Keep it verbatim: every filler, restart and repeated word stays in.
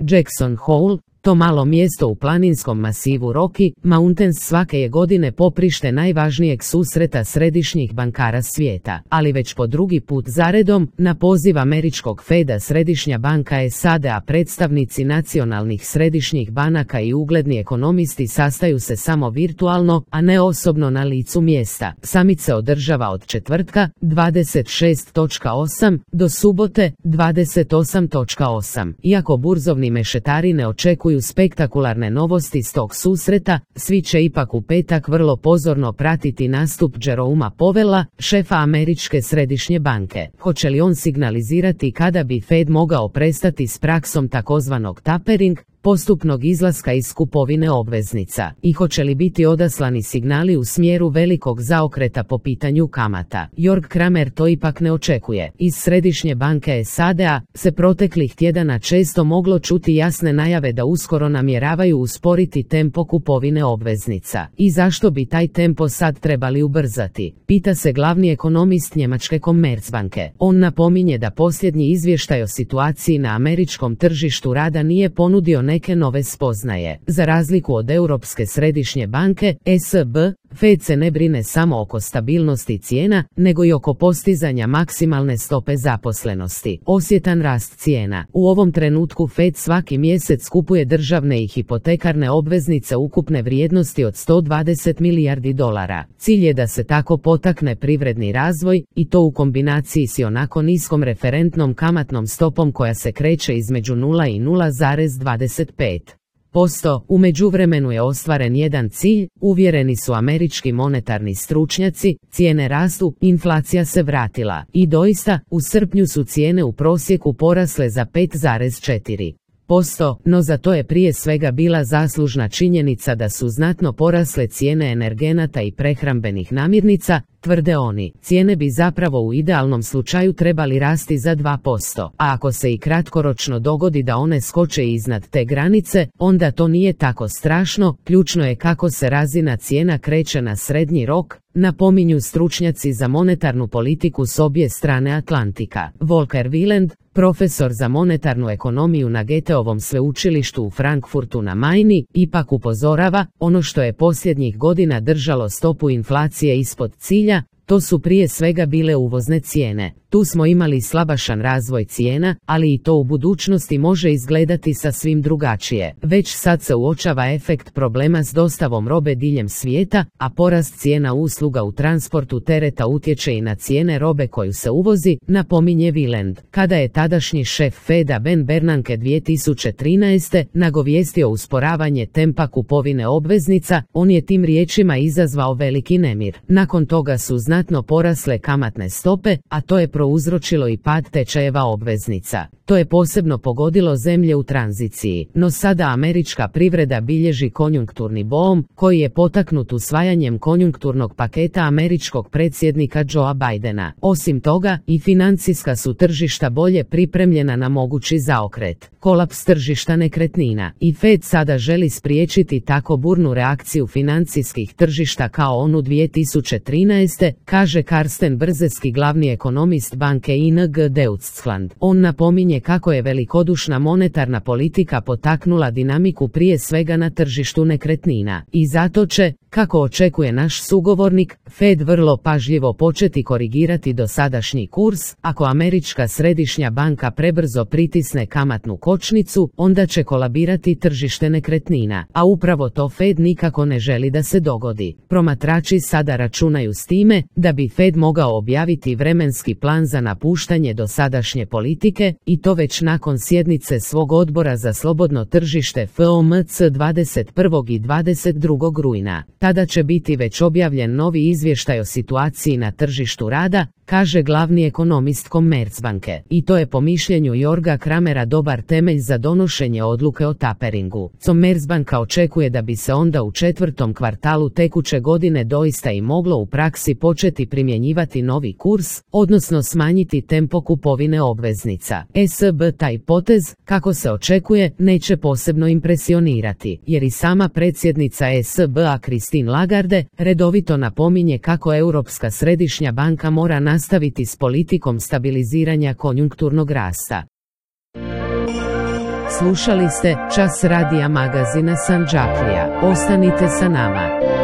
Jackson Hole, to malo mjesto u planinskom masivu Rocky Mountains svake je godine poprište najvažnijeg susreta središnjih bankara svijeta, ali već po drugi put zaredom, na poziv američkog Feda Središnja banka S A D-a predstavnici nacionalnih središnjih banaka i ugledni ekonomisti sastaju se samo virtualno, a ne osobno na licu mjesta. Summit se održava od četvrtka, dvadeset šest osam, do subote, dvadeset osam osam. Iako burzovni mešetari ne očekuju spektakularne novosti s tog susreta, svi će ipak u petak vrlo pozorno pratiti nastup Jeroma Powella, šefa američke središnje banke. Hoće li on signalizirati kada bi Fed mogao prestati s praksom takozvanog tapering, postupnog izlaska iz kupovine obveznica, i hoće li biti odaslani signali u smjeru velikog zaokreta po pitanju kamata. Jörg Kramer to ipak ne očekuje. Iz Središnje banke S A D-a se proteklih tjedana često moglo čuti jasne najave da uskoro namjeravaju usporiti tempo kupovine obveznica. I zašto bi taj tempo sad trebali ubrzati? Pita se glavni ekonomist njemačke Commerzbanke. On napominje da posljednji izvještaj o situaciji na američkom tržištu rada nije ponudio neke nove spoznaje. Za razliku od Europske središnje banke, E C B, Fed se ne brine samo oko stabilnosti cijena, nego i oko postizanja maksimalne stope zaposlenosti. Osjetan rast cijena. U ovom trenutku Fed svaki mjesec kupuje državne i hipotekarne obveznice ukupne vrijednosti od sto dvadeset milijardi dolara. Cilj je da se tako potakne privredni razvoj, i to u kombinaciji s onako niskom referentnom kamatnom stopom koja se kreće između nula i nula zarez dvadeset pet posto. U međuvremenu je ostvaren jedan cilj, uvjereni su američki monetarni stručnjaci, cijene rastu, inflacija se vratila. I doista, u srpnju su cijene u prosjeku porasle za pet zarez četiri posto, no za to je prije svega bila zaslužna činjenica da su znatno porasle cijene energenata i prehrambenih namirnica, tvrde oni. Cijene bi zapravo u idealnom slučaju trebali rasti za dva posto, a ako se i kratkoročno dogodi da one skoče iznad te granice, onda to nije tako strašno, ključno je kako se razina cijena kreće na srednji rok, napominju stručnjaci za monetarnu politiku s obje strane Atlantika. Volker Wieland, profesor za monetarnu ekonomiju na Goetheovom sveučilištu u Frankfurtu na Majni, ipak upozorava, ono što je posljednjih godina držalo stopu inflacije ispod cilja, to su prije svega bile uvozne cijene. Tu smo imali slabašan razvoj cijena, ali i to u budućnosti može izgledati sasvim drugačije. Već sad se uočava efekt problema s dostavom robe diljem svijeta, a porast cijena usluga u transportu tereta utječe i na cijene robe koju se uvozi, napominje Wieland. Kada je tadašnji šef Feda Ben Bernanke dvije tisuće trinaeste nagovijestio usporavanje tempa kupovine obveznica, on je tim riječima izazvao veliki nemir. Nakon toga su znatno porasle kamatne stope, a to je prouzročilo i pad tečajeva obveznica. To je posebno pogodilo zemlje u tranziciji, no sada američka privreda bilježi konjunkturni boom, koji je potaknut usvajanjem konjunkturnog paketa američkog predsjednika Joea Bidena. Osim toga, i financijska su tržišta bolje pripremljena na mogući zaokret. Kolaps tržišta nekretnina. I Fed sada želi spriječiti tako burnu reakciju financijskih tržišta kao onu dvije tisuće trinaeste, kaže Karsten Brzeski, glavni ekonomist banke I N G Deutschland. On napominje kako je velikodušna monetarna politika potaknula dinamiku prije svega na tržištu nekretnina. I zato će, kako očekuje naš sugovornik, Fed vrlo pažljivo početi korigirati dosadašnji kurs. Ako američka središnja banka prebrzo pritisne kamatnu kočnicu, onda će kolabirati tržište nekretnina, a upravo to Fed nikako ne želi da se dogodi. Promatrači sada računaju s time da bi Fed mogao objaviti vremenski plan za napuštanje dosadašnje politike, i to već nakon sjednice svog odbora za slobodno tržište F O M C dvadeset prvog i dvadeset drugog rujna. Tada će biti već objavljen novi izvještaj o situaciji na tržištu rada, kaže glavni ekonomist Commerzbanke. I to je po mišljenju Jorga Kramera dobar temelj za donošenje odluke o taperingu. Commerzbanka očekuje da bi se onda u četvrtom kvartalu tekuće godine doista i moglo u praksi početi primjenjivati novi kurs, odnosno smanjiti tempo kupovine obveznica. E C B taj potez, kako se očekuje, neće posebno impresionirati, jer i sama predsjednica E C B-a Christine Lagarde redovito napominje kako Europska središnja banka mora nastaviti s politikom stabiliziranja konjunkturnog rasta. Slušali ste Čas radija magazina Sandžaklija. Ostanite sa nama.